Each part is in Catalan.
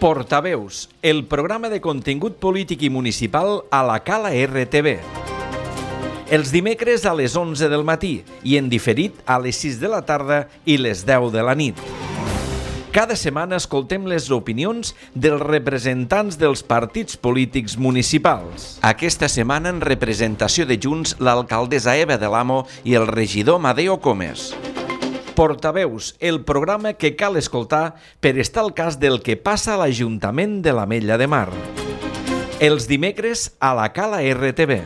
Portaveus, el programa de contingut polític i municipal a la Cala RTV. Els dimecres a les 11 del matí i en diferit a les 6 de la tarda i les 10 de la nit. Cada setmana escoltem les opinions dels representants dels partits polítics municipals. Aquesta setmana en representació de Junts l'alcaldessa Eva de l'Amo i el regidor Madeo Comes. Portaveus, el programa que cal escoltar per estar al cas del que passa a l'Ajuntament de l'Ametlla de Mar. Els dimecres a la Cala RTV.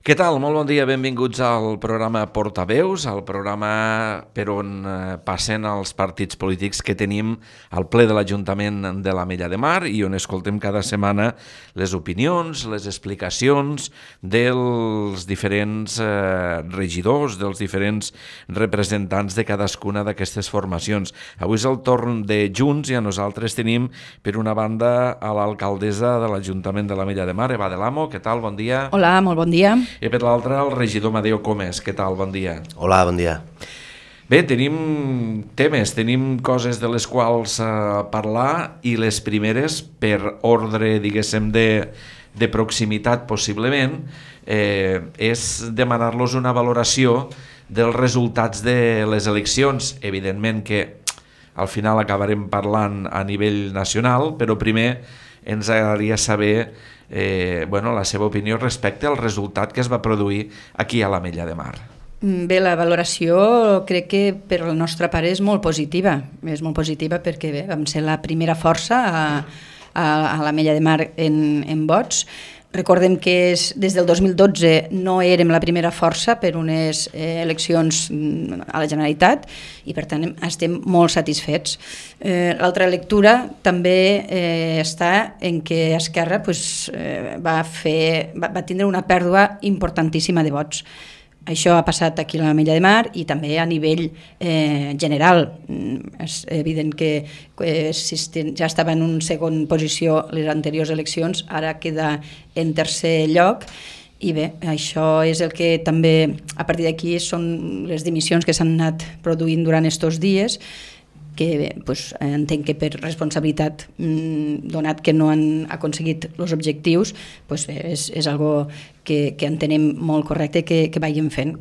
Què tal? Molt bon dia, benvinguts al programa Portaveus, al programa per on passen els partits polítics que tenim al ple de l'Ajuntament de l'Ametlla de Mar i on escoltem cada setmana les opinions, les explicacions dels diferents regidors, dels diferents representants de cadascuna d'aquestes formacions. Avui és el torn de Junts i a nosaltres tenim per una banda a l'alcaldessa de l'Ajuntament de l'Ametlla de Mar, Eva de l'Amo. Què tal? Bon dia. Hola, molt bon dia. I per l'altre, el regidor Madeo Comes. Què tal? Bon dia. Hola, bon dia. Bé, tenim temes, tenim coses de les quals parlar i les primeres, per ordre, diguéssim, de proximitat possiblement, és demanar-los una valoració dels resultats de les eleccions. Evidentment que al final acabarem parlant a nivell nacional, però primer ens agradaria saber la seva opinió respecte al resultat que es va produir aquí a l'Ametlla de Mar. Bé, la valoració crec que per la nostra part és molt positiva. És molt positiva perquè bé, vam ser la primera força a l'Ametlla de Mar en vots. Recordem que des del 2012 no érem la primera força per unes eleccions a la Generalitat i per tant estem molt satisfets. L'altra lectura també està en què Esquerra va tindre una pèrdua importantíssima de vots. Això ha passat aquí a l'Ametlla de Mar i també a nivell general. És evident que ja estava en una segona posició les anteriors eleccions, ara queda en tercer lloc i bé, això és el que també a partir d'aquí són les dimissions que s'han anat produint durant aquests dies, que entenc que per responsabilitat, donat que no han aconseguit els objectius, és algo que entenem molt correcte que vagin fent.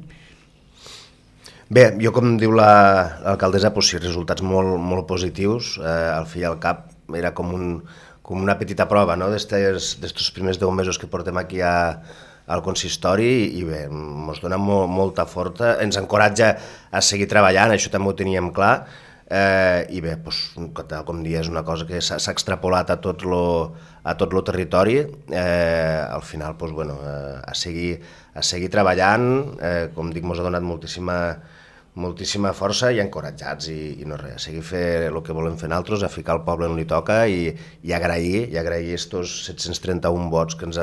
Bé, jo com diu l'alcaldessa, sí, resultats molt positius. Al fi i al cap era com una petita prova, no?, d'estos primers 10 mesos que portem aquí al consistori i bé, ens dona molta força, ens encoratja a seguir treballant, això també ho teníem clar. I bé, com dia, és una cosa que s'ha extrapolat a tot el territori. Al final, a seguir treballant, com dic, ens ha donat moltíssima força i encoratjats i no res, a seguir fer el que volem fer nosaltres, a ficar el poble on li toca i agrair estos 731 vots que ens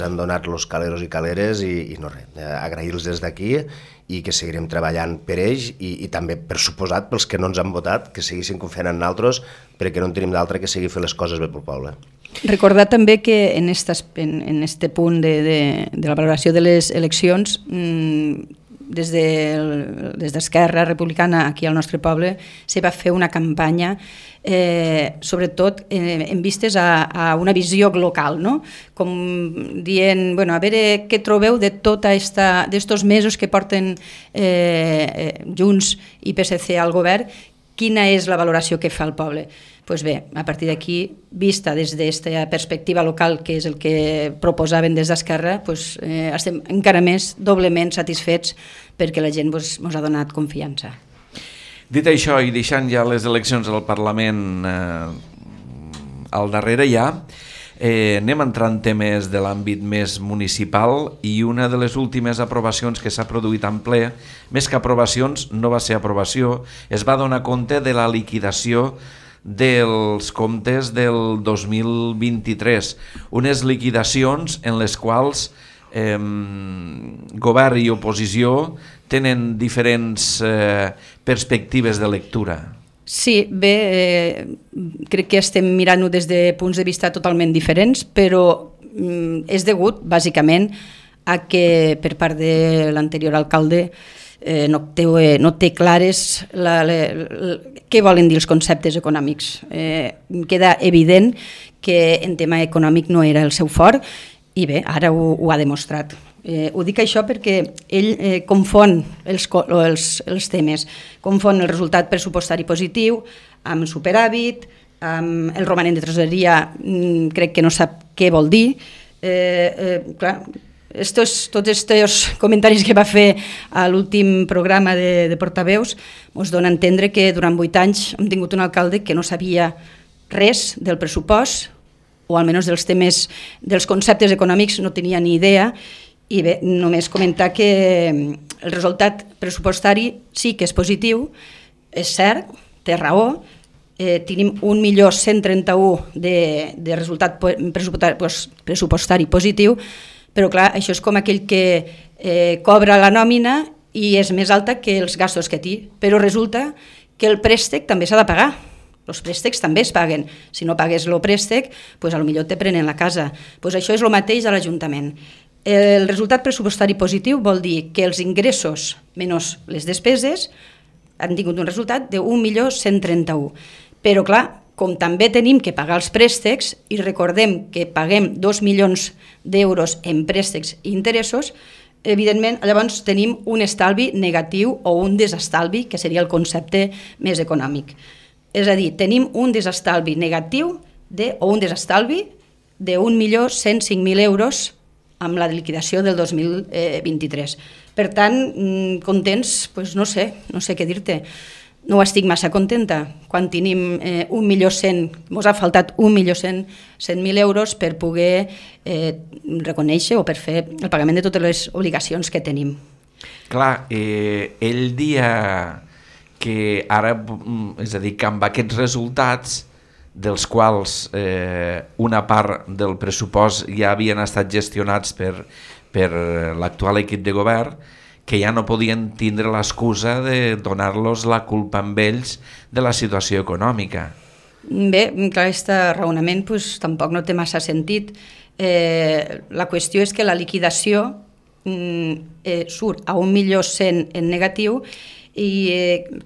han donat los caleros i caleres i no res, agrair-los des d'aquí i que seguirem treballant per ells i també, per suposat, pels que no ens han votat, que seguissin confiant en nosaltres perquè no en tenim d'altre que seguir fer les coses bé pel poble. Recordar també que en este punt de la valoració de les eleccions, des d'Esquerra Republicana aquí al nostre poble se va fer una campanya sobretot en vistes a una visió local, no? Com dient, a veure què trobeu de tota d'estos mesos que porten Junts i PSC al govern, quina és la valoració que fa el poble. Doncs bé, a partir d'aquí, vista des d'aquesta perspectiva local, que és el que proposaven des d'Esquerra, estem encara més doblement satisfets perquè la gent ens ha donat confiança. Dit això, i deixant ja les eleccions al Parlament al darrere ja, anem a entrar en temes de l'àmbit més municipal i una de les últimes aprovacions que s'ha produït en ple, més que aprovacions, no va ser aprovació, es va donar compte de la liquidació dels comptes del 2023, unes liquidacions en les quals govern i oposició tenen diferents perspectives de lectura. Sí, bé, crec que estem mirant-ho des de punts de vista totalment diferents, però és degut, bàsicament, a que per part de l'anterior alcalde no té clares què volen dir els conceptes econòmics. Queda evident que en tema econòmic no era el seu fort i bé, ara ho ha demostrat. Ho dic això perquè ell confon els temes, confon el resultat pressupostari positiu amb superàvit, amb el romanent de tresoreria, crec que no sap què vol dir. Clar, tots estos comentaris que va fer a l'últim programa de portaveus ens dona a entendre que durant 8 anys hem tingut un alcalde que no sabia res del pressupost, o almenys dels temes, dels conceptes econòmics no tenia ni idea. I bé, només comentar que el resultat pressupostari sí que és positiu, és cert, té raó, tenim 1.131.000 de resultat pressupostari positiu, però clar, això és com aquell que cobra la nòmina i és més alta que els gastos que té, però resulta que el préstec també s'ha de pagar. Els préstecs també es paguen. Si no pagues el préstec, potser te prenen la casa. Això és el mateix a l'Ajuntament. El resultat pressupostari positiu vol dir que els ingressos menys les despeses han tingut un resultat de 1.131.000. Però clar, com també tenim que pagar els préstecs, i recordem que paguem 2 milions d'euros en préstecs i interessos, evidentment llavors tenim un estalvi negatiu o un desestalvi, que seria el concepte més econòmic. És a dir, tenim un desestalvi negatiu o un desestalvi de 1.105.000 euros amb la liquidació del 2023. Per tant, contents, doncs no sé què dir-te. No estic massa contenta quan tenim 1.100.000, ens ha faltat 1.100.000 euros per poder reconèixer o per fer el pagament de totes les obligacions que tenim. Clar, ell dia que ara, és a dir, que amb aquests resultats, dels quals una part del pressupost ja havien estat gestionats per l'actual equip de govern, que ja no podien tindre l'excusa de donar-los la culpa amb ells de la situació econòmica. Bé, clar, aquest raonament tampoc no té massa sentit. La qüestió és que la liquidació surt a 1.100.000 en negatiu i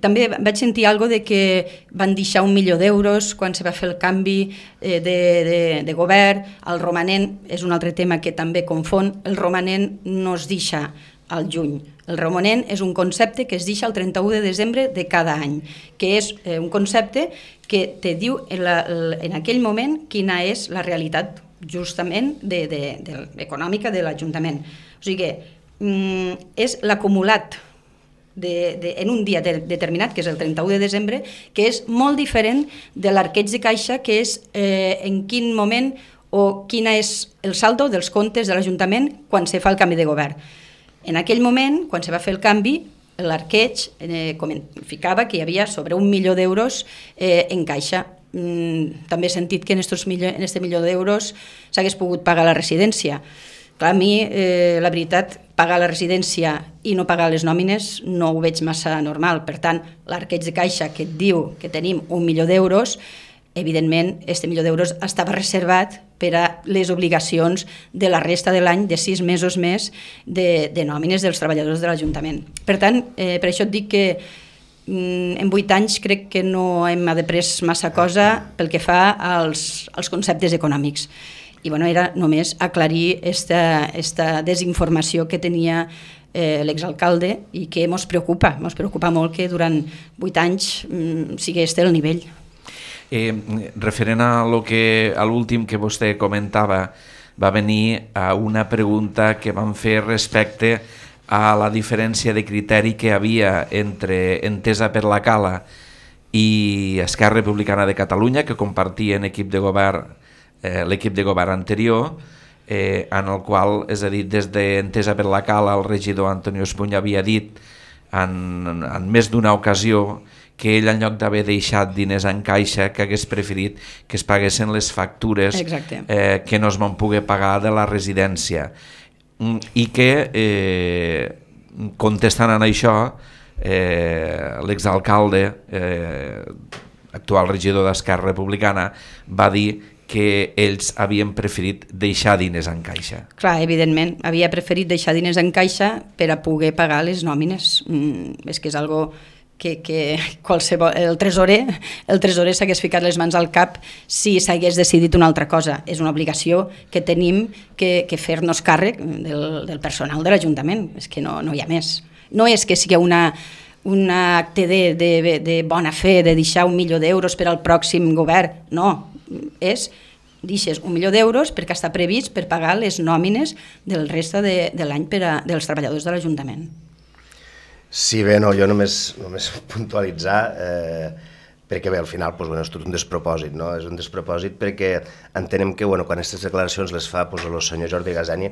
també vaig sentir alguna cosa de que van deixar 1 milió d'euros quan se va fer el canvi de govern. El romanent és un altre tema que també confon. El romanent no es deixa al juny. El romanent és un concepte que es deixa el 31 de desembre de cada any, que és un concepte que te diu en aquell moment quina és la realitat justament econòmica de l'Ajuntament. O sigui que és l'acumulat en un dia determinat, que és el 31 de desembre, que és molt diferent de l'arqueig de caixa, que és en quin moment o quin és el saldo dels comptes de l'Ajuntament quan se fa el canvi de govern. En aquell moment, quan se va fer el canvi, l'arqueig ficava que hi havia sobre 1 milió d'euros en caixa. També he sentit que en aquest milió d'euros s'hagués pogut pagar la residència. Clar, a mi, la veritat, pagar la residència i no pagar les nòmines no ho veig massa normal. Per tant, l'arqueig de caixa que et diu que tenim 1 milió d'euros, evidentment, aquest milió d'euros estava reservat per a les obligacions de la resta de l'any, de 6 mesos més, de nòmines dels treballadors de l'Ajuntament. Per tant, per això et dic que en 8 anys crec que no hem après massa cosa pel que fa als conceptes econòmics. I era només aclarir aquesta desinformació que tenia l'exalcalde i que ens preocupa molt que durant 8 anys sigui este el nivell. Referent a l'últim que vostè comentava, va venir a una pregunta que vam fer respecte a la diferència de criteri que havia entre Entesa per la Cala i Esquerra Republicana de Catalunya, que compartien l'equip de govern anterior, en el qual, és a dir, des d'Entesa per la Cala, el regidor Antonio Espuny havia dit en més d'una ocasió que ell, en lloc d'haver deixat diners en caixa, que hagués preferit que es paguessin les factures que no es van poder pagar de la residència. I que, contestant en això, l'exalcalde, actual regidor d'Esquerra Republicana, va dir que ells havien preferit deixar diners en caixa. Clar, evidentment, havia preferit deixar diners en caixa per a poder pagar les nòmines. És que és algo que qualsevol, el tresorer s'hagués ficat les mans al cap si s'hagués decidit una altra cosa. És una obligació que tenim que fer-nos càrrec del personal de l'Ajuntament. És que no hi ha més. No és que sigui un acte de bona fe, de deixar 1 milió d'euros per al pròxim govern. No, és deixes 1 milió d'euros perquè està previst per pagar les nòmines del resta de l'any dels treballadors de l'Ajuntament. Sí, bé, no, jo només puntualitzar, perquè bé, al final és tot un despropòsit, no? És un despropòsit perquè entenem que quan aquestes declaracions les fa el senyor Jordi Gasani,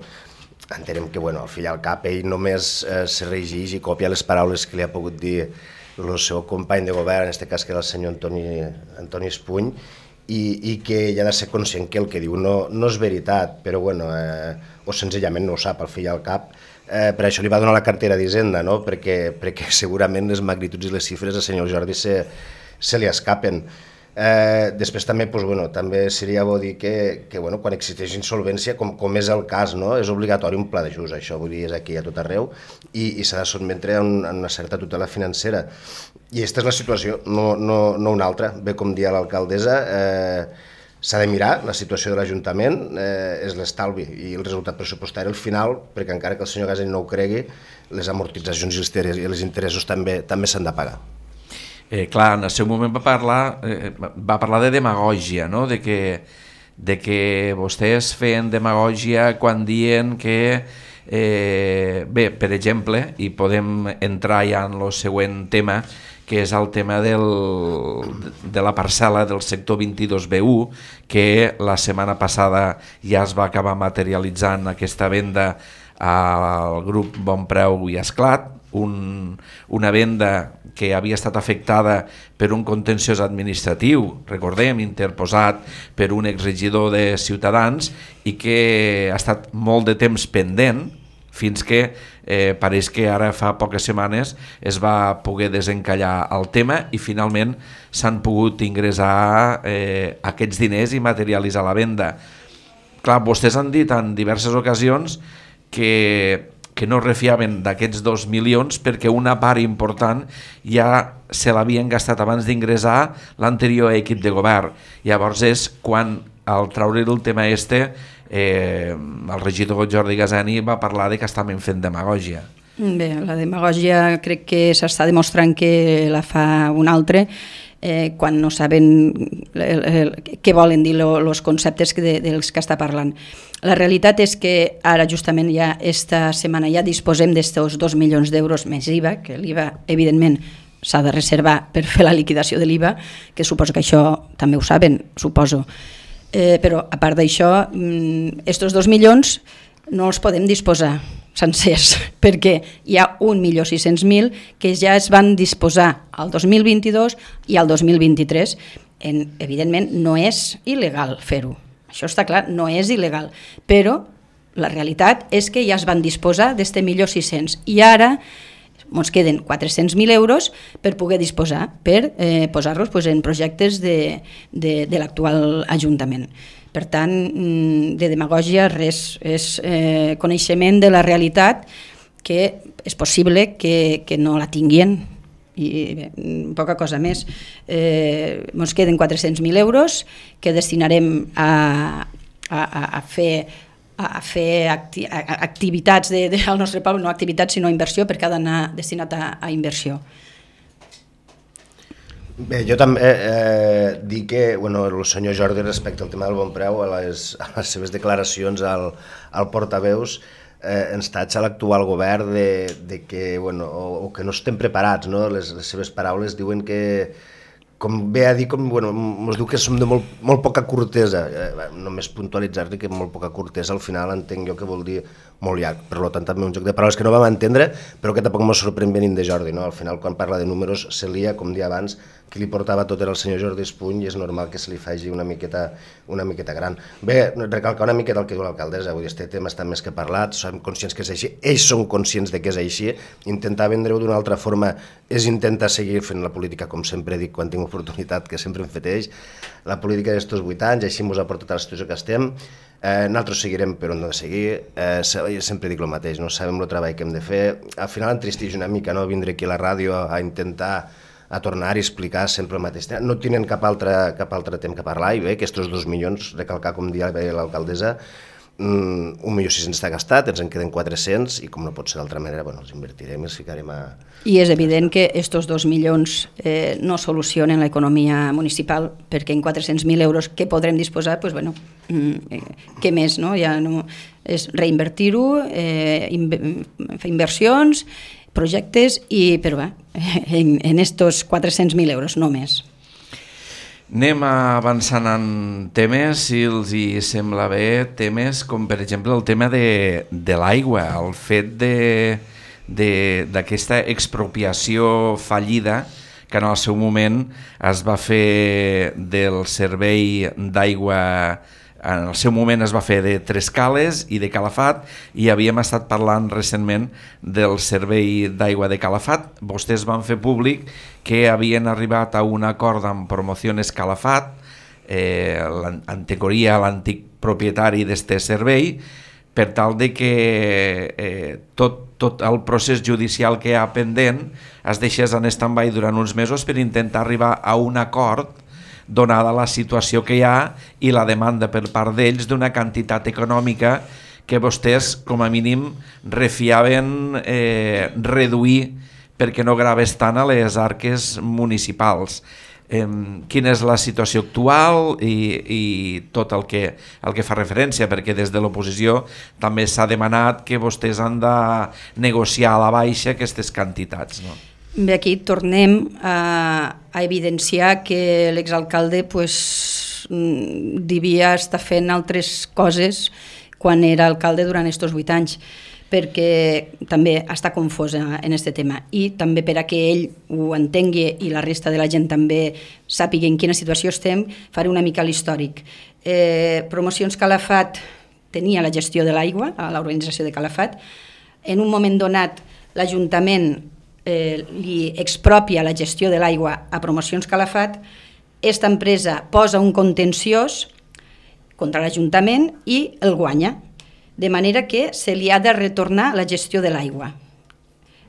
entenem que al fi i al cap ell només se regeix i copia les paraules que li ha pogut dir el seu company de govern, en aquest cas que era el senyor Antoni Espuny, i que ell ha de ser conscient que el que diu no és veritat, però o senzillament no ho sap al fi i al cap. Per això li va donar la cartera d'Hisenda, no? Perquè segurament les magnituds i les xifres al senyor Jordi se li escapen. Després també seria bo dir que quan existeix insolvència, com és el cas, és obligatori un pla d'ajust, això vull dir, és aquí a tot arreu, i s'ha de sotmetre a una certa tutela financera. I aquesta és la situació, no una altra. Bé, com dia l'alcaldessa, s'ha de mirar la situació de l'Ajuntament, és l'estalvi i el resultat pressupostari al final, perquè encara que el senyor Gasani no ho cregui, les amortitzacions i els interessos també s'han de pagar. Clar, en el seu moment va parlar de demagògia, no? de que vostès feien demagògia quan diuen que, bé, per exemple, i podem entrar ja en el següent tema, que és el tema de la parcel·la del sector 22B1, que la setmana passada ja es va acabar materialitzant aquesta venda al grup Bon Preu i Esclat, una venda que havia estat afectada per un contenciós administratiu, recordem, interposat per un exregidor de Ciutadans i que ha estat molt de temps pendent fins que pareix que ara fa poques setmanes es va poder desencallar el tema i finalment s'han pogut ingressar aquests diners i materialitzar la venda. Clar, vostès han dit en diverses ocasions que no refiaven d'aquests 2 milions perquè una part important ja se l'havien gastat abans d'ingressar l'anterior equip de govern. Llavors és quan, al treure el tema el regidor Jordi Gasani va parlar de que estaven fent demagògia. Bé, la demagògia crec que s'està demostrant que la fa un altre, quan no saben què volen dir els conceptes dels que està parlant. La realitat és que ara justament ja esta setmana ja disposem d'estos 2 milions d'euros més IVA, que l'IVA evidentment s'ha de reservar per fer la liquidació de l'IVA, que suposo que això també ho saben, suposo. Però a part d'això, estos 2 milions no els podem disposar sencers, perquè hi ha 1.600.000 que ja es van disposar al 2022 i al 2023. Evidentment no és il·legal fer-ho, això està clar, no és il·legal, però la realitat és que ja es van disposar d'este 1.600.000 i ara ens queden 400.000 euros per poder disposar, per posar-los en projectes de l'actual Ajuntament. Per tant, de demagògia res, és coneixement de la realitat que és possible que no la tinguin i bé, poca cosa més. Ens queden 400.000 euros que destinarem a fer activitats al nostre poble, no activitats sinó inversió, perquè ha d'anar destinat a inversió. Bé, jo també dic que el senyor Jordi, respecte al tema del Bon Preu, a les seves declaracions al portaveus, ens tatxa l'actual govern de que no estem preparats, no? Les seves paraules diuen que, com ve a dir, ens diu que som de molt poca cortesa. Només puntualitzar-li que molt poca cortesa al final entenc jo que vol dir molt llarg. Per tant, també un joc de paraules que no vam entendre, però que tampoc ens sorprèn venint de Jordi. Al final, quan parla de números, se lia, com dia abans, qui li portava tot era el senyor Jordi Espuny i és normal que se li faci una miqueta gran. Bé, recalcar una miqueta el que diu l'alcaldessa, vull dir, este tema està més que parlat, som conscients que és així, ells són conscients de que és així, intentar vendre-ho d'una altra forma és intentar seguir fent la política, com sempre dic quan tinc oportunitat, que sempre hem fet ells, la política d'estos 8 anys, així ens ha portat a la situació que estem. Nosaltres seguirem per on hem de seguir, sempre dic el mateix, no sabem el treball que hem de fer, al final entristeix una mica no vindre aquí a la ràdio a intentar a tornar i explicar sempre el mateix. No tenen cap altre temps que parlar i bé, aquests 2 milions, recalcar com dia l'alcaldessa, 1.600.000 està gastat, ens en queden 400 i com no pot ser d'altra manera, els invertirem i els ficarem a... I és evident que aquests 2 milions no solucionen l'economia municipal perquè en 400.000 euros que podrem disposar, què més? No? Ja no, és reinvertir-ho, fer inversions, projectes, però en estos 400.000 euros, no més. Anem avançant en temes, si els hi sembla bé, temes com per exemple el tema de l'aigua, el fet d'aquesta expropiació fallida que en el seu moment es va fer del servei d'aigua. En el seu moment es va fer de Trescales i de Calafat i havíem estat parlant recentment del servei d'aigua de Calafat. Vostès van fer públic que havien arribat a un acord amb Promociones Calafat, en teoria l'antic propietari d'este servei, per tal de que tot el procés judicial que hi ha pendent es deixés en stand-by durant uns mesos per intentar arribar a un acord donada la situació que hi ha i la demanda per part d'ells d'una quantitat econòmica que vostès, com a mínim, refiaven reduir perquè no graves tant a les arques municipals. Quina és la situació actual i tot el que fa referència, perquè des de l'oposició també s'ha demanat que vostès han de negociar a la baixa aquestes quantitats, no? Bé, aquí tornem a evidenciar que l'exalcalde devia estar fent altres coses quan era alcalde durant aquests 8 anys, perquè també està confós en aquest tema i també per a que ell ho entengui i la resta de la gent també sàpiga en quina situació estem, faré una mica l'històric. Promocions Calafat tenia la gestió de l'aigua a l'organització de Calafat. En un moment donat l'Ajuntament li expropia la gestió de l'aigua a Promocions Calafat, aquesta empresa posa un contenciós contra l'Ajuntament i el guanya, de manera que se li ha de retornar la gestió de l'aigua.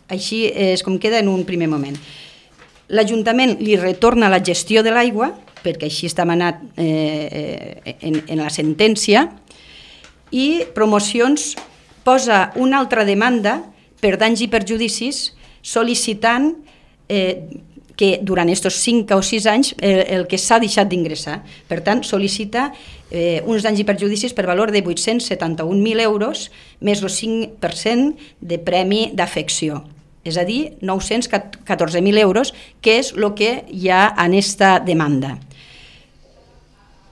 Així és com queda en un primer moment. L'Ajuntament li retorna la gestió de l'aigua, perquè així està manat en la sentència, i Promocions posa una altra demanda per danys i perjudicis sol·licitant que durant aquests 5 o 6 anys el que s'ha deixat d'ingressar. Per tant, sol·licita uns danys i perjudicis per valor de 871.000 euros més el 5% de premi d'afecció. És a dir, 914.000 euros, que és el que hi ha en aquesta demanda.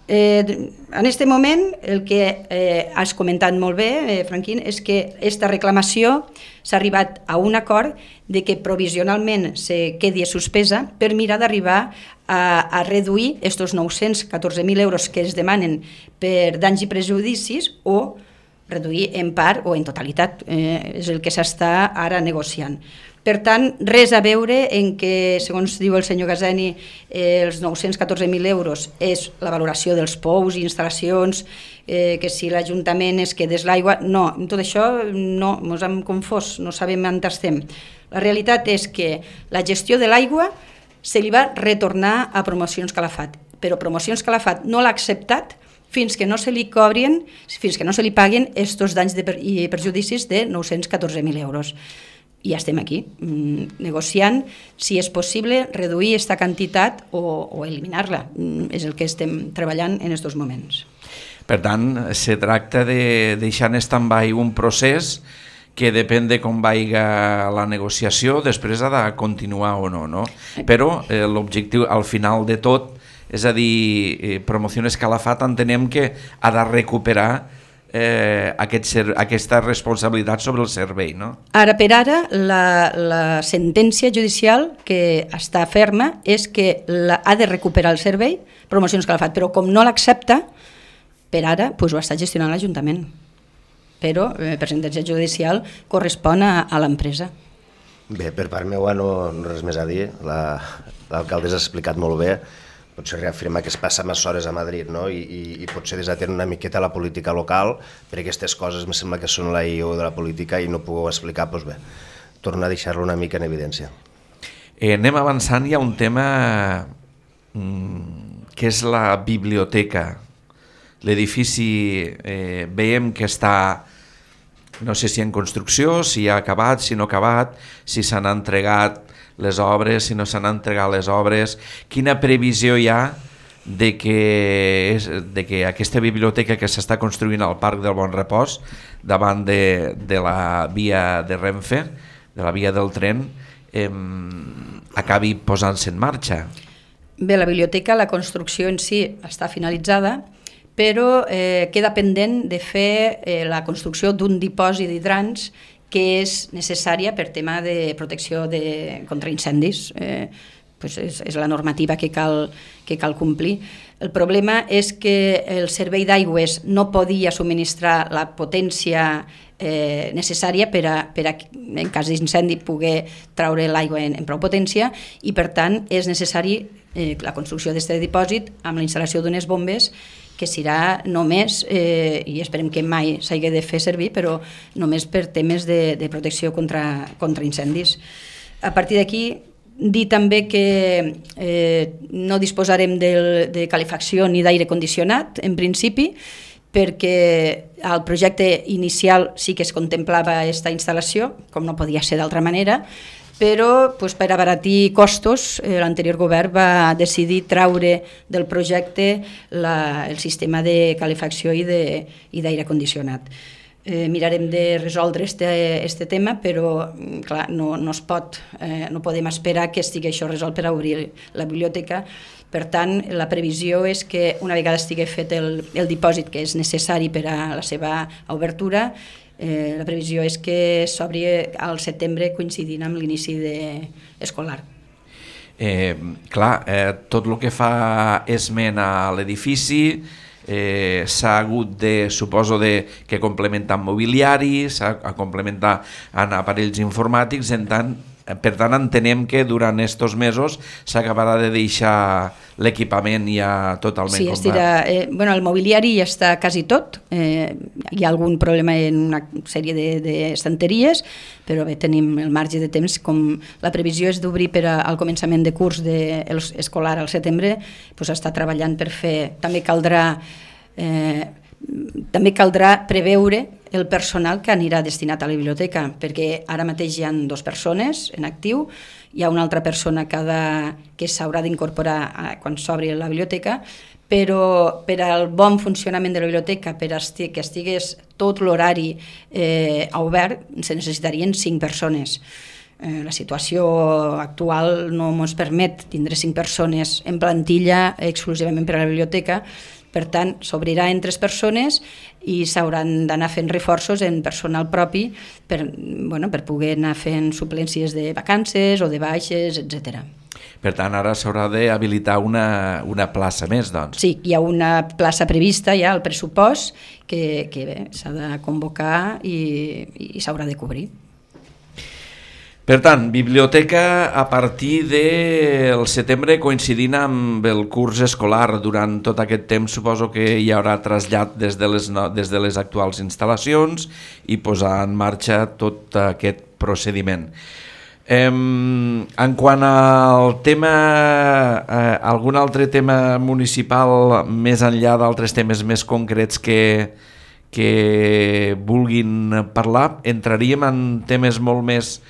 En aquest moment, el que has comentat molt bé, Franquín, és que aquesta reclamació s'ha arribat a un acord de que provisionalment se quedi suspesa per mirar d'arribar a reduir aquests 914.000 euros que es demanen per danys i prejudicis o reduir en part o en totalitat, és el que s'està ara negociant. Per tant, res a veure en que, segons diu el senyor Gazeni, els 914.000 euros és la valoració dels pous i instal·lacions, que si l'Ajuntament es quedés l'aigua... No, tot això no, ens hem confós, no sabem on estem. La realitat és que la gestió de l'aigua se li va retornar a Promocions Calafat, però Promocions Calafat no l'ha acceptat fins que no se li cobrin, fins que no se li paguen aquests danys i perjudicis de 914.000 euros. I ja estem aquí, negociant si és possible reduir aquesta quantitat o eliminar-la. És el que estem treballant en aquests moments. Per tant, se tracta de deixar en stand-by un procés que depèn de com vaiga la negociació, després ha de continuar o no, no? Però l'objectiu al final de tot, és a dir, Promociones Calafat entenem que ha de recuperar aquesta responsabilitat sobre el servei, no? Ara per ara, la sentència judicial que està ferma és que ha de recuperar el servei, Promocions Calafat, però com no l'accepta, per ara ho està gestionant l'Ajuntament. Però per sentència judicial correspon a l'empresa. Bé, per part meva no res més a dir. L'alcaldessa ha explicat molt bé. Potser reafirmar que es passa massa hores a Madrid, no? I potser desatén una miqueta la política local, perquè aquestes coses em sembla que són la I.O. de la política i no puc explicar, doncs bé, torna a deixar-lo una mica en evidència. Anem avançant, hi ha un tema que és la biblioteca. L'edifici veiem que està, no sé si en construcció, si ha acabat, si no ha acabat, si s'han entregat les obres, si no s'han entregat les obres. Quina previsió hi ha de que aquesta biblioteca que s'està construint al Parc del Bon Repòs, davant de la via de Renfe, de la via del tren, acabi posant-se en marxa? Bé, la biblioteca, la construcció en si està finalitzada, però queda pendent de fer la construcció d'un dipòsit d'hidrants que és necessària per tema de protecció contra incendis. És la normativa que cal complir. El problema és que el servei d'aigües no podia subministrar la potència necessària per a, en cas d'incendi, poder traure l'aigua en prou potència, i per tant és necessari la construcció d'aquest dipòsit amb la instal·lació d'unes bombes que serà només, i esperem que mai s'hagi de fer servir, però només per temes de protecció contra incendis. A partir d'aquí, dir també que no disposarem de calefacció ni d'aire condicionat, en principi, perquè al projecte inicial sí que es contemplava aquesta instal·lació, com no podia ser d'altra manera, però per abaratir costos l'anterior govern va decidir traure del projecte el sistema de calefacció i d'aire condicionat. Mirarem de resoldre aquest tema, però clar, no podem esperar que estigui això resolt per obrir la biblioteca. Per tant, la previsió és que una vegada estigui fet el dipòsit que és necessari per a la seva obertura, la previsió és que s'obri al setembre coincidint amb l'inici escolar. Tot el que fa esment a l'edifici s'ha hagut de, suposo, que complementar amb mobiliari, s'ha de complementar amb aparells informàtics, per tant entenem que durant aquests mesos s'acabarà de deixar l'equipament ja totalment complet. El mobiliari ja està quasi tot, hi ha algun problema en una sèrie d'estanteries, però bé, tenim el marge de temps. Com la previsió és d'obrir per al començament de curs escolar al setembre, està treballant per fer. També caldrà preveure el personal que anirà destinat a la biblioteca, perquè ara mateix hi ha 2 persones en actiu, hi ha una altra persona que s'haurà d'incorporar quan s'obri la biblioteca, però per al bon funcionament de la biblioteca, que estigués tot l'horari obert, se necessitarien 5 persones. La situació actual no ens permet tindre 5 persones en plantilla exclusivament per a la biblioteca. Per tant, s'obrirà en 3 persones i s'hauran d'anar fent reforços en personal propi per poder anar fent suplències de vacances o de baixes, etc. Per tant, ara s'haurà d'habilitar una plaça més, doncs. Sí, hi ha una plaça prevista ja al pressupost que s'ha de convocar i s'haurà de cobrir. Per tant, biblioteca a partir del setembre, coincidint amb el curs escolar. Durant tot aquest temps suposo que hi haurà trasllat des de les actuals instal·lacions i posar en marxa tot aquest procediment. En quant al tema, algun altre tema municipal, més enllà d'altres temes més concrets que vulguin parlar, entraríem en temes molt més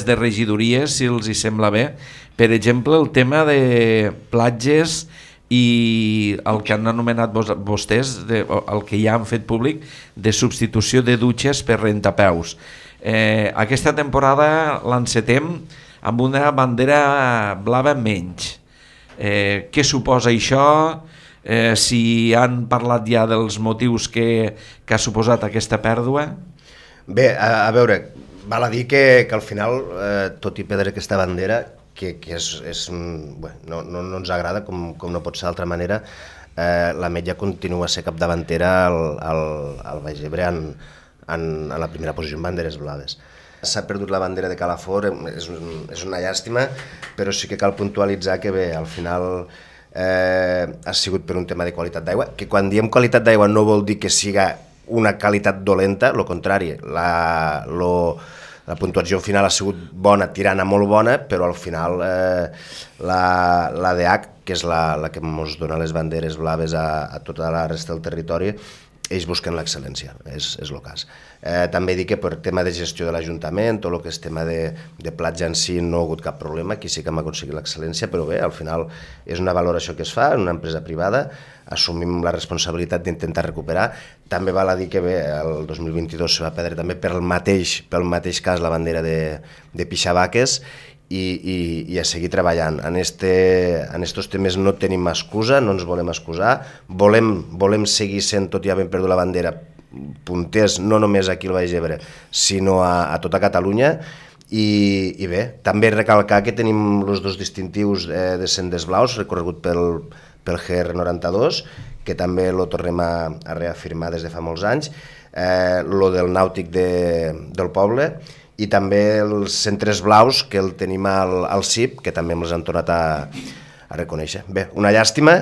de regidories, si els hi sembla bé. Per exemple, el tema de platges i el que han anomenat vostès, el que ja han fet públic, de substitució de dutxes per rentapeus. Aquesta temporada l'encetem amb una bandera blava menys. Què suposa això? si han parlat ja dels motius que ha suposat aquesta pèrdua? Bé, a veure, val a dir que al final, tot i perdre aquesta bandera, que no ens agrada, com no pot ser d'altra manera, l'Ametlla continua a ser capdavantera al Baix Ebre en la primera posició en banderes blaves. S'ha perdut la bandera de Calafort, és una llàstima, però sí que cal puntualitzar que bé, al final ha sigut per un tema de qualitat d'aigua, que quan diem qualitat d'aigua no vol dir que siga una qualitat dolenta, el contrari, la puntuació final ha sigut bona, tirant a molt bona, però al final l'ADH, que és la que ens dona les banderes blaves a tota la resta del territori, ells busquen l'excel·lència, és el cas. També dic que per tema de gestió de l'Ajuntament, tot el que és tema de platja en si no ha hagut cap problema, aquí sí que hem aconseguit l'excel·lència, però bé, al final és una valoració que es fa en una empresa privada, assumim la responsabilitat d'intentar recuperar. També val a dir que bé, el 2022 se va perdre també pel mateix cas la bandera de Pixavaques, i a seguir treballant. En estos temes no tenim excusa, no ens volem excusar, volem seguir sent, tot i haver perdut la bandera, punters no només aquí al Baix Ebre, sinó a tota Catalunya, i bé, també recalcar que tenim els dos distintius de Sendes Blaus, recorregut pel GR92, que també lo tornem a reafirmar des de fa molts anys, lo del nàutic del poble, i també els centres blaus, que el tenim al CIP, que també ens han tornat a reconèixer. Bé, una llàstima,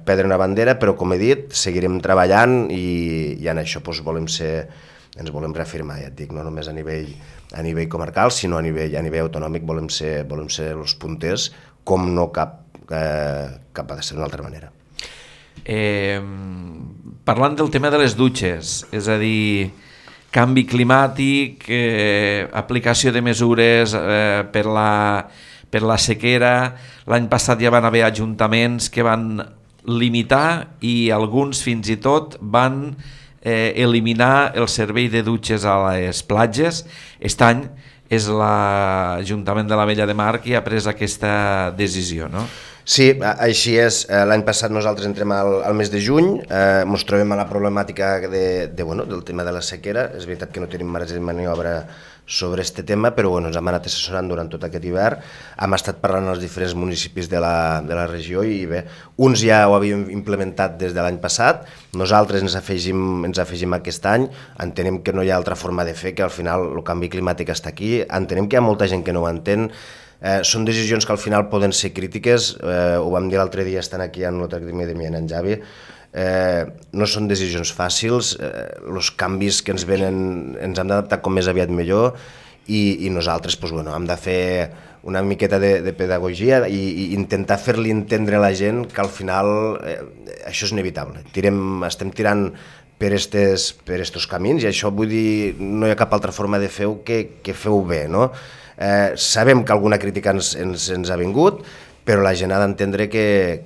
perdre una bandera, però com he dit, seguirem treballant i en això ens volem reafirmar, ja et dic, no només a nivell comarcal, sinó a nivell autonòmic volem ser els punters, com no cap ha de ser d'una altra manera. Parlant del tema de les dutxes, és a dir, canvi climàtic, aplicació de mesures per la sequera. L'any passat ja van haver ajuntaments que van limitar i alguns fins i tot van eliminar el servei de dutxes a les platges. Aquest any és l'Ajuntament de l'Ametlla de Mar qui ha pres aquesta decisió, no? Sí, així és. L'any passat nosaltres entrem al mes de juny, ens trobem a la problemàtica del tema de la sequera. És veritat que no tenim marge de maniobra sobre aquest tema, però ens hem anat assessorant durant tot aquest hivern. Hem estat parlant als diferents municipis de la regió i bé, uns ja ho havíem implementat des de l'any passat, nosaltres ens afegim aquest any, entenem que no hi ha altra forma de fer, que al final el canvi climàtic està aquí, entenem que hi ha molta gent que no ho entén. Són decisions que al final poden ser crítiques, ho vam dir l'altre dia estant aquí en l'Acadèmia de en Javi, no són decisions fàcils, els canvis que ens venen ens hem d'adaptar com més aviat millor i nosaltres hem de fer una miqueta de pedagogia i intentar fer-li entendre a la gent que al final això és inevitable. Estem tirant per estos camins i això vull dir, no hi ha cap altra forma de fer-ho que fer-ho bé, no? Sabem que alguna crítica ens ha vingut, però la gent ha d'entendre que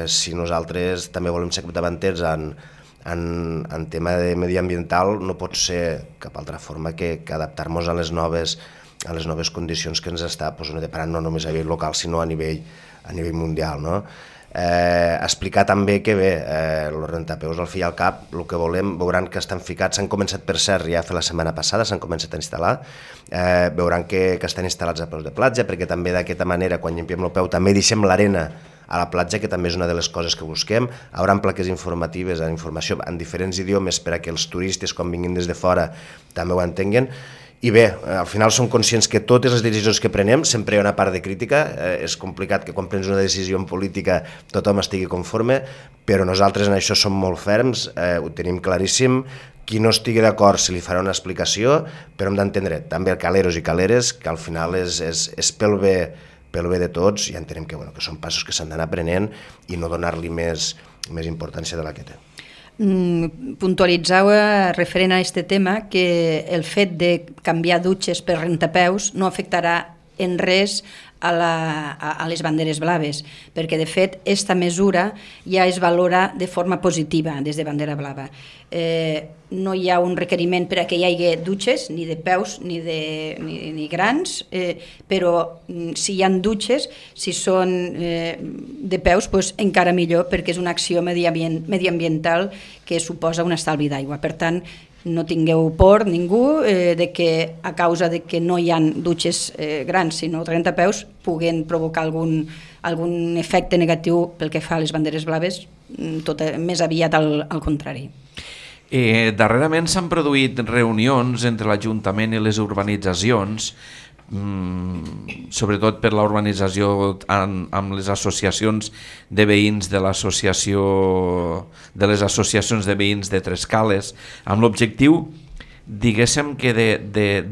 si nosaltres també volem ser capdavanters en tema de mediambiental, no pot ser cap altra forma que adaptar-nos a les noves condicions que ens està deparant no només a nivell local, sinó a nivell mundial, no? Explicar també que bé, els rentapeus al fi i al cap, el que volem, veuran que estan ficats, s'han començat per cert ja fer la setmana passada, s'han començat a instal·lar, veuran que estan instal·lats a peus de platja, perquè també d'aquesta manera quan llimpiem el peu també deixem l'arena a la platja, que també és una de les coses que busquem. Hi haurà plaques informatives, informació en diferents idiomes per a que els turistes quan vinguin des de fora també ho entenguen. I bé, al final som conscients que totes les decisions que prenem sempre hi ha una part de crítica, és complicat que quan prens una decisió en política tothom estigui conforme, però nosaltres en això som molt ferms, ho tenim claríssim, qui no estigui d'acord se li farà una explicació, però hem d'entendre també caleros i caleres, que al final és pel bé de tots i entenem que són passos que s'han d'anar prenent i no donar-li més importància de la que té. Puntualitzau referent a aquest tema que el fet de canviar dutxes per rentapeus no afectarà en res a les banderes blaves, perquè de fet aquesta mesura ja es valora de forma positiva des de Bandera Blava. No hi ha un requeriment per a que hi hagi dutxes, ni de peus ni grans, però si hi ha dutxes, si són de peus, doncs encara millor, perquè és una acció mediambiental que suposa un estalvi d'aigua. Per tant, no tingueu por ningú de que a causa de que no hi ha dutxes grans, sinó 30 peus, puguen provocar algun efecte negatiu pel que fa a les banderes blaves, més aviat al contrari. Darrerament s'han produït reunions entre l'Ajuntament i les urbanitzacions, sobretot per l'urbanització amb les associacions de veïns de les associacions de veïns de Trescales, amb l'objectiu, diguéssim, que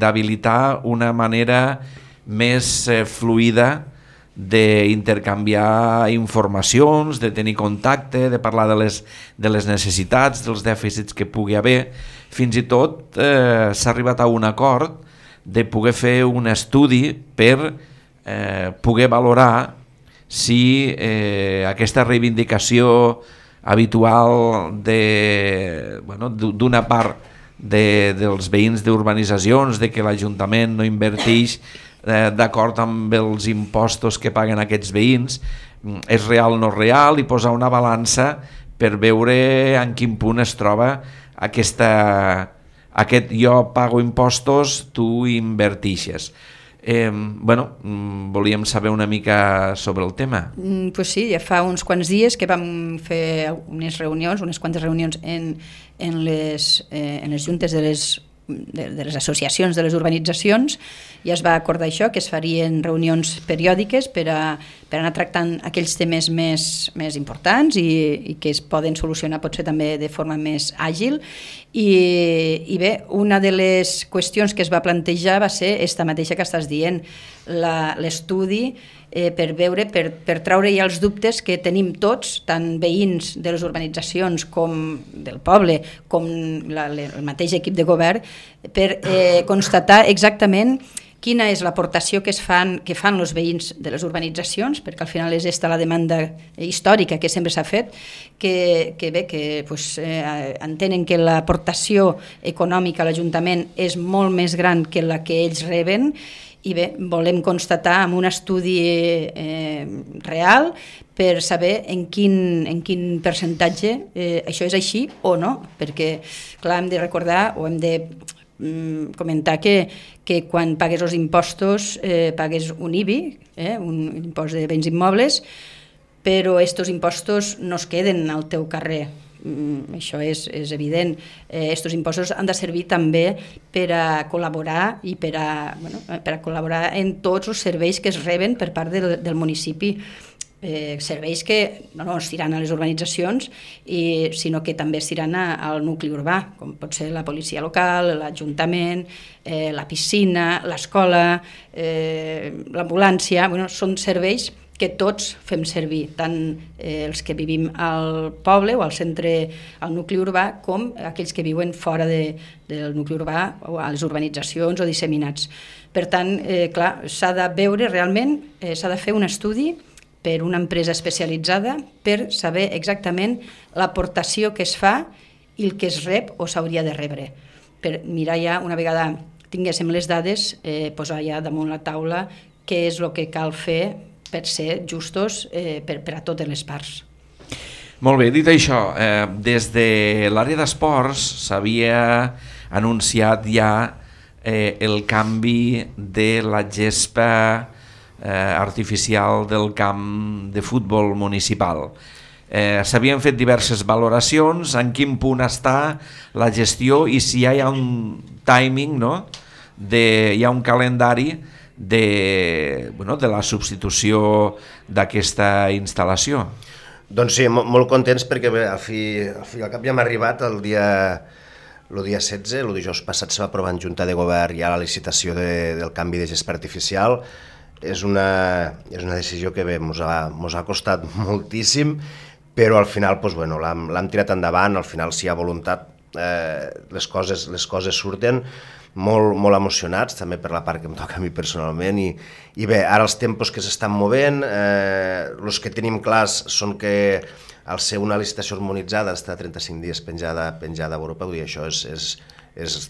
d'habilitar una manera més fluida d'intercanviar informacions, de tenir contacte, de parlar de les necessitats, dels dèficits que pugui haver. Fins i tot s'ha arribat a un acord de poder fer un estudi per poder valorar si aquesta reivindicació habitual d'una part dels veïns d'urbanitzacions, de que l'Ajuntament no inverteix d'acord amb els impostos que paguen aquests veïns, és real o no real, i posar una balança per veure en quin punt es troba aquest jo pago impostos, tu invertixes. Volíem saber una mica sobre el tema. Pues sí, ja fa uns quants dies que vam fer unes quantes reunions en les juntes de les associacions de les urbanitzacions, i es va acordar això, que es farien reunions periòdiques per anar tractant aquells temes més importants i que es poden solucionar potser també de forma més àgil. I bé, una de les qüestions que es va plantejar va ser esta mateixa que estàs dient, l'estudi per veure, per treure ja els dubtes que tenim tots, tant veïns de les urbanitzacions com del poble, com el mateix equip de govern, per constatar exactament quina és l'aportació que fan els veïns de les urbanitzacions, perquè al final és esta la demanda històrica que sempre s'ha fet, que entenen que l'aportació econòmica a l'Ajuntament és molt més gran que la que ells reben, i bé, volem constatar amb un estudi real per saber en quin percentatge això és així o no, perquè clar, hem de recordar o hem de comentar que quan pagues els impostos pagues un IBI, un impost de béns immobles, però aquests impostos no es queden al teu carrer. Això és evident. Aquests impostos han de servir també per a col·laborar i per a col·laborar en tots els serveis que es reben per part del municipi. Serveis que no es tiran a les urbanitzacions, sinó que també es tiran al nucli urbà, com pot ser la policia local, l'Ajuntament, la piscina, l'escola, l'ambulància. Són serveis que tots fem servir, tant els que vivim al poble o al centre, al nucli urbà, com aquells que viuen fora del nucli urbà o a les urbanitzacions o disseminats. Per tant, clar, s'ha de veure realment, s'ha de fer un estudi per una empresa especialitzada per saber exactament l'aportació que es fa i el que es rep o s'hauria de rebre. Per mirar ja, una vegada tinguéssim les dades, posar ja damunt la taula què és el que cal fer per ser justos per a totes les parts. Molt bé, dit això, des de l'àrea d'esports s'havia anunciat ja el canvi de la gespa artificial del camp de futbol municipal. S'havien fet diverses valoracions, en quin punt està la gestió i si hi ha un timing, no? Hi ha un calendari de la substitució d'aquesta instal·lació. Doncs sí, molt contents perquè al fi al cap ja hem arribat el dia 16, el dijous passat se va aprovar en Junta de Govern ja la licitació del canvi de gespa artificial. És una decisió que bé, mos ha costat moltíssim, però al final l'hem tirat endavant, al final si hi ha voluntat les coses surten, molt emocionats, també per la part que em toca a mi personalment, i bé, ara els tempos que s'estan movent, els que tenim clars són que al ser una licitació harmonitzada està 35 dies penjada a Europa, vull dir, això és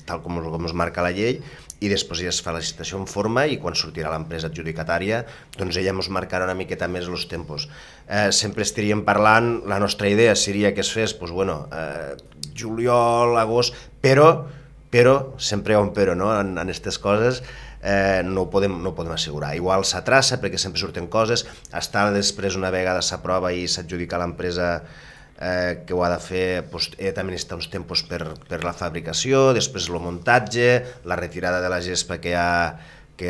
tal com es marca la llei, i després ja es fa la licitació en forma i quan sortirà l'empresa adjudicatària doncs ella ens marcarà una miqueta més els tempos. Sempre estaríem parlant, la nostra idea seria que es fes juliol, agost, però sempre hi ha un però, no? En aquestes coses no ho podem assegurar. Igual s'atrassa perquè sempre surten coses, està després una vegada s'aprova i s'adjudica l'empresa que ho ha de fer, també necessita uns tempos per la fabricació, després el muntatge, la retirada de la gespa que hi ha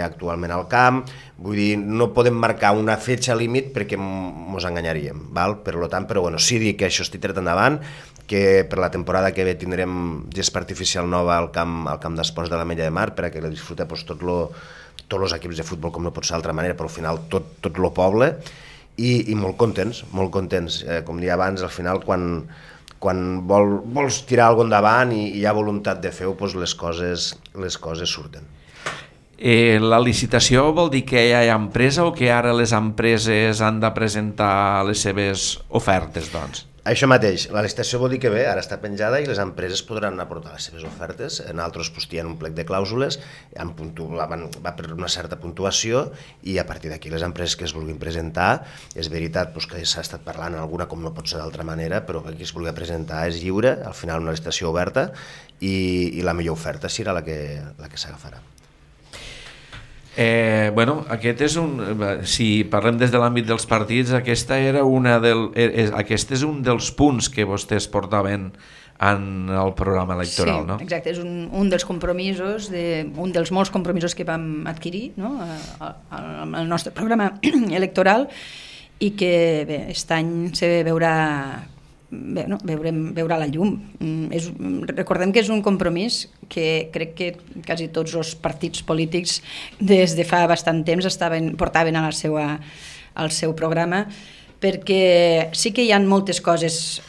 actualment al camp. Vull dir, no podem marcar una fetge límit perquè ens enganyaríem, val? Per tant, però bueno, sí dir que això estic tret endavant, que per la temporada que ve tindrem gespa artificial nova al camp d'esports de l'Ametlla de Mar, perquè la disfruta tots els equips de futbol, com no pot ser d'altra manera, però al final tot el poble, i molt contents, com deia abans, al final quan vols tirar alguna cosa endavant i hi ha voluntat de fer-ho, doncs les coses surten. La licitació vol dir que ja hi ha empresa o que ara les empreses han de presentar les seves ofertes, doncs? Això mateix, la licitació vol dir que bé, ara està penjada i les empreses podran aportar les seves ofertes. Nosaltres hi ha un plec de clàusules, va per una certa puntuació i a partir d'aquí les empreses que es vulguin presentar, és veritat que s'ha estat parlant alguna com no pot ser d'altra manera, però qui es vulgui presentar és lliure, al final una licitació oberta i la millor oferta serà la que s'agafarà. Aquest és si parlem des de l'àmbit dels partits, aquest és un dels punts que vostès portaven en el programa electoral, no? Sí, exacte, és un dels compromisos, un dels molts compromisos que vam adquirir, no? al nostre programa electoral, i que bé, aquest any se veurà la llum. Recordem que és un compromís que crec que quasi tots els partits polítics des de fa bastant temps portaven al seu programa, perquè sí que hi ha moltes coses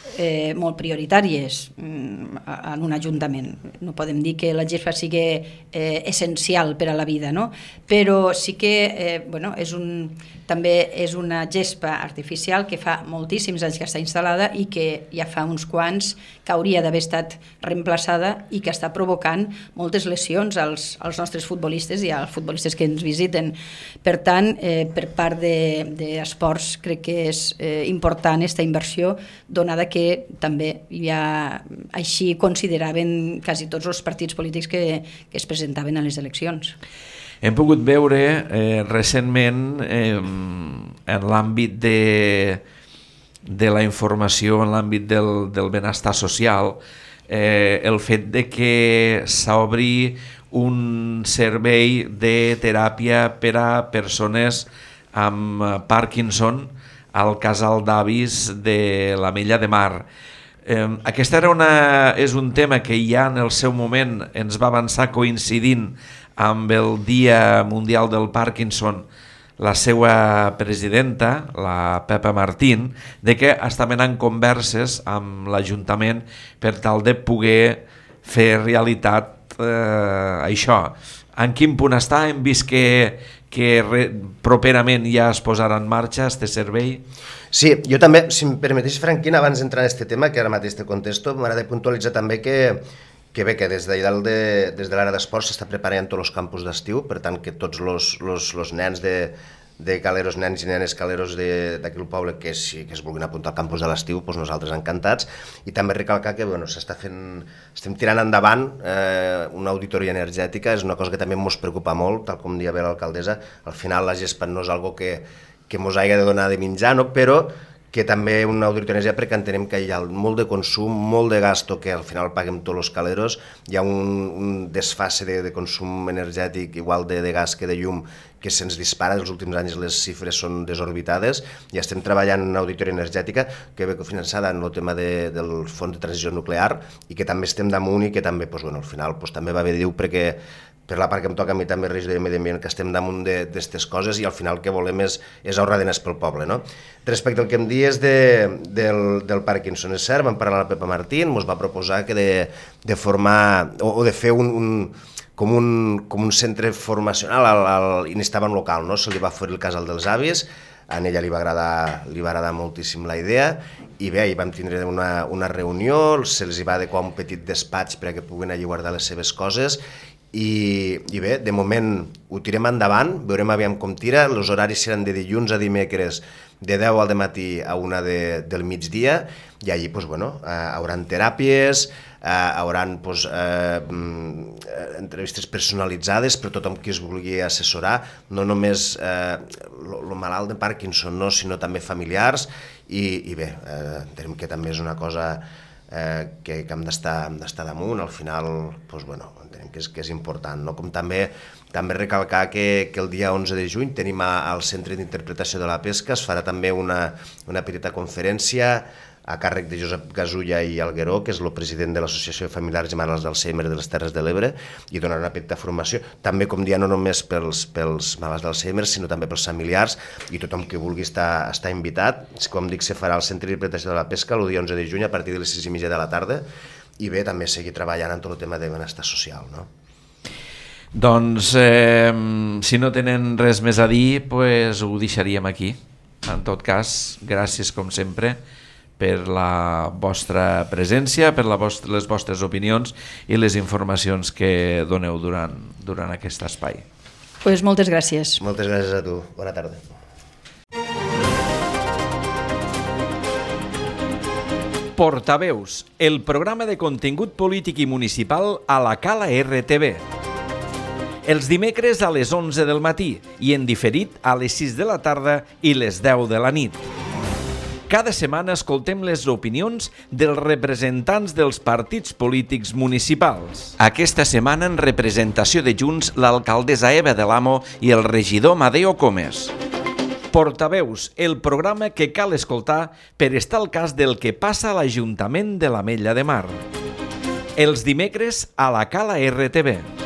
molt prioritàries en un ajuntament. No podem dir que la gespa sigui essencial per a la vida, no? Però sí que també és una gespa artificial que fa moltíssims anys que està instal·lada i que ja fa uns quants que hauria d'haver estat reemplaçada i que està provocant moltes lesions als nostres futbolistes i als futbolistes que ens visiten. Per tant, per part d'esports crec que és important aquesta inversió, donada que també així consideraven quasi tots els partits polítics que es presentaven a les eleccions. Hem pogut veure recentment en l'àmbit de la informació, en l'àmbit del benestar social, el fet de que s'obri un servei de teràpia per a persones amb Parkinson al casal d'avis de l'Ametlla de Mar. Aquest és un tema que ja en el seu moment ens va avançar coincidint amb el Dia Mundial del Parkinson la seva presidenta, la Pepa Martín, de que estaven en converses amb l'Ajuntament per tal de poder fer realitat això. En quin punt està? Hem vist que properament ja es posarà en marxa aquest servei? Sí, jo també, si em permeteix, Franquín, abans d'entrar en aquest tema, que ara mateix te contesto, m'agrada puntualitzar també que des de l'àrea d'esports s'està preparant tots els campus d'estiu, per tant que tots els nens de caleros, nens i nenes caleros d'aquí al poble que es vulguin apuntar al campus de l'estiu, doncs nosaltres encantats. I també recalcar que estem tirant endavant una auditoria energètica, és una cosa que també ens preocupa molt, tal com deia bé l'alcaldessa. Al final la gespa no és algo que ens hagi de donar de menjar, no? Però que també una auditoria energètica, perquè entenem que hi ha molt de consum, molt de gasto que al final paguem tots els caleros, hi ha un desfase de consum energètic igual de gas que de llum que se'ns dispara, els últims anys les xifres són desorbitades, i estem treballant en una auditoria energètica que ve cofinançada en el tema del Fons de Transició Nuclear i que també estem damunt i que també al final també va bé dir perquè per la part que em toca a mi també regidor de Medi Ambient, que estem damunt d'aquestes coses i al final el que volem és ahorrar diners pel poble, no? Respecte al que em dies del Parkinson, és cert, vam parlar amb la Pepa Martín, ens va proposar que de formar o de fer com un centre formacional, i n'estava en local, no? Se li va oferir el casal dels avis, a ella li va agradar moltíssim la idea, i bé, hi vam tindre una reunió, se'ls va adequar un petit despatx perquè puguin allí guardar les seves coses, i bé, de moment ho tirem endavant, veurem aviam com tira, els horaris seran de dilluns a dimecres, de 10 al matí a 1 del migdia, i allí hauran teràpies, hauran entrevistes personalitzades per tothom qui es vulgui assessorar, no només el malalt de Parkinson, no, sinó també familiars, i bé, entenem que també és una cosa que hem d'estar damunt. Al final entenem que és important, no? Com també recalcar que el dia 11 de juny tenim al Centre d'Interpretació de la Pesca, es farà també una petita conferència a càrrec de Josep Gasulla i Algueró, que és el president de l'Associació de Familiars i Malalts d'Alzheimer de les Terres de l'Ebre, i donarà una petita formació, també, com dia, no només pels malalts d'Alzheimer, sinó també pels familiars, i tothom que vulgui està invitat. Com dic, se farà al Centre d'Interpretació de la Pesca el dia 11 de juny a partir de les 6:30 de la tarda, i bé, també seguir treballant en tot el tema de benestar social, no? Doncs, si no tenen res més a dir, ho deixaríem aquí. En tot cas, gràcies com sempre per la vostra presència, per les vostres opinions i les informacions que doneu durant aquest espai. Moltes gràcies. Moltes gràcies a tu. Bona tarda. Portaveus, el programa de contingut polític i municipal a la Cala RTV. Els dimecres a les 11 del matí i en diferit a les 6 de la tarda i les 10 de la nit. Cada setmana escoltem les opinions dels representants dels partits polítics municipals. Aquesta setmana, en representació de Junts, l'alcaldessa Eva de l'Amo i el regidor Madeo Comes. Portaveus, el programa que cal escoltar per estar al cas del que passa a l'Ajuntament de l'Ametlla de Mar. Els dimecres a la Cala RTV.